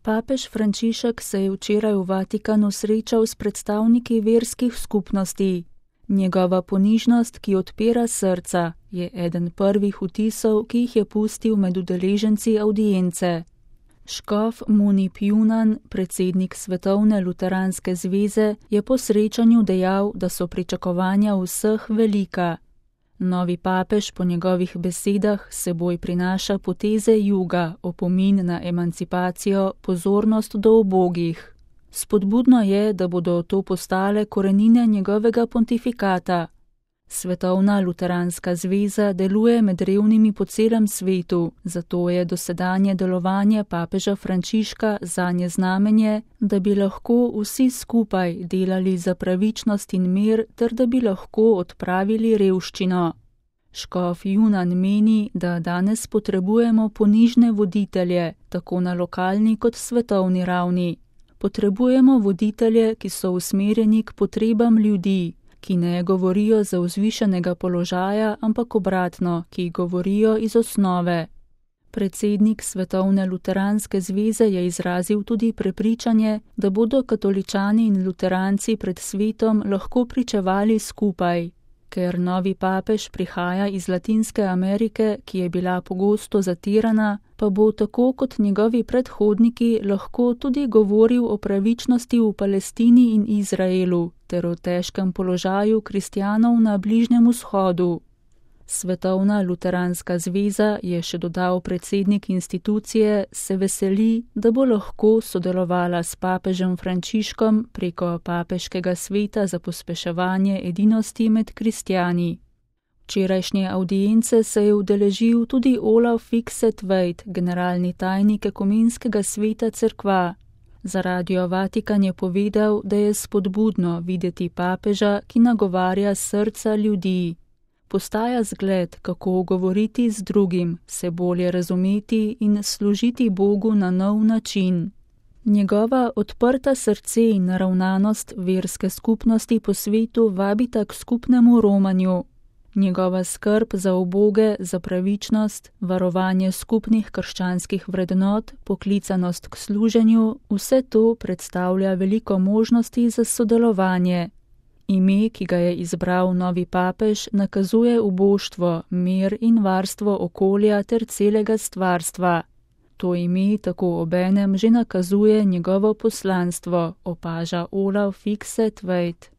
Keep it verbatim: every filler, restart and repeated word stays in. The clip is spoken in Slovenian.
Papež Frančišek se je včeraj v Vatikanu srečal s predstavniki verskih skupnosti. Njegova ponižnost, ki odpira srca, je eden prvih vtisov, ki jih je pustil med udeleženci avdience. Škof Munip Junan, predsednik Svetovne luteranske zveze, je po srečanju dejal, da so pričakovanja vseh velika. Novi papež po njegovih besedah seboj prinaša poteze juga, opomin na emancipacijo, pozornost do ubogih. Spodbudno je, da bodo to postale korenine njegovega pontifikata. Svetovna luteranska zveza deluje med revnimi po celem svetu, zato je dosedanje delovanje papeža Frančiška zanje znamenje, da bi lahko vsi skupaj delali za pravičnost in mir ter da bi lahko odpravili revščino. Škof Junan meni, da danes potrebujemo ponižne voditelje, tako na lokalni kot svetovni ravni. Potrebujemo voditelje, ki so usmerjeni k potrebam ljudi, ki ne govorijo za vzvišenega položaja, ampak obratno, ki govorijo iz osnove. Predsednik Svetovne luteranske zveze je izrazil tudi prepričanje, da bodo katoličani in luteranci pred svetom lahko pričevali skupaj. Ker novi papež prihaja iz Latinske Amerike, ki je bila pogosto zatirana, pa bo tako kot njegovi predhodniki lahko tudi govoril o pravičnosti v Palestini in Izraelu ter o težkem položaju kristjanov na Bližnjem vzhodu. Svetovna luteranska zveza, je še dodal predsednik institucije, se veseli, da bo lahko sodelovala s papežem Frančiškom preko papeškega sveta za pospeševanje edinosti med kristjani. Včerajšnje avdience se je udeležil tudi Olav Fikset-Tveit, generalni tajnik ekumenskega sveta cerkva. Za Radio Vatikan je povedal, da je spodbudno videti papeža, ki nagovarja srca ljudi. Postaja zgled, kako govoriti z drugim, se bolje razumeti in služiti Bogu na nov način. Njegova odprta srce in naravnanost verske skupnosti po svetu vabita k skupnemu romanju. Njegova skrb za uboge, za pravičnost, varovanje skupnih krščanskih vrednot, poklicanost k služenju, vse to predstavlja veliko možnosti za sodelovanje. Ime, ki ga je izbral novi papež, nakazuje uboštvo, mir in varstvo okolja ter celega stvarstva. To ime tako obenem že nakazuje njegovo poslanstvo, opaža Olav Fikset-Tveit.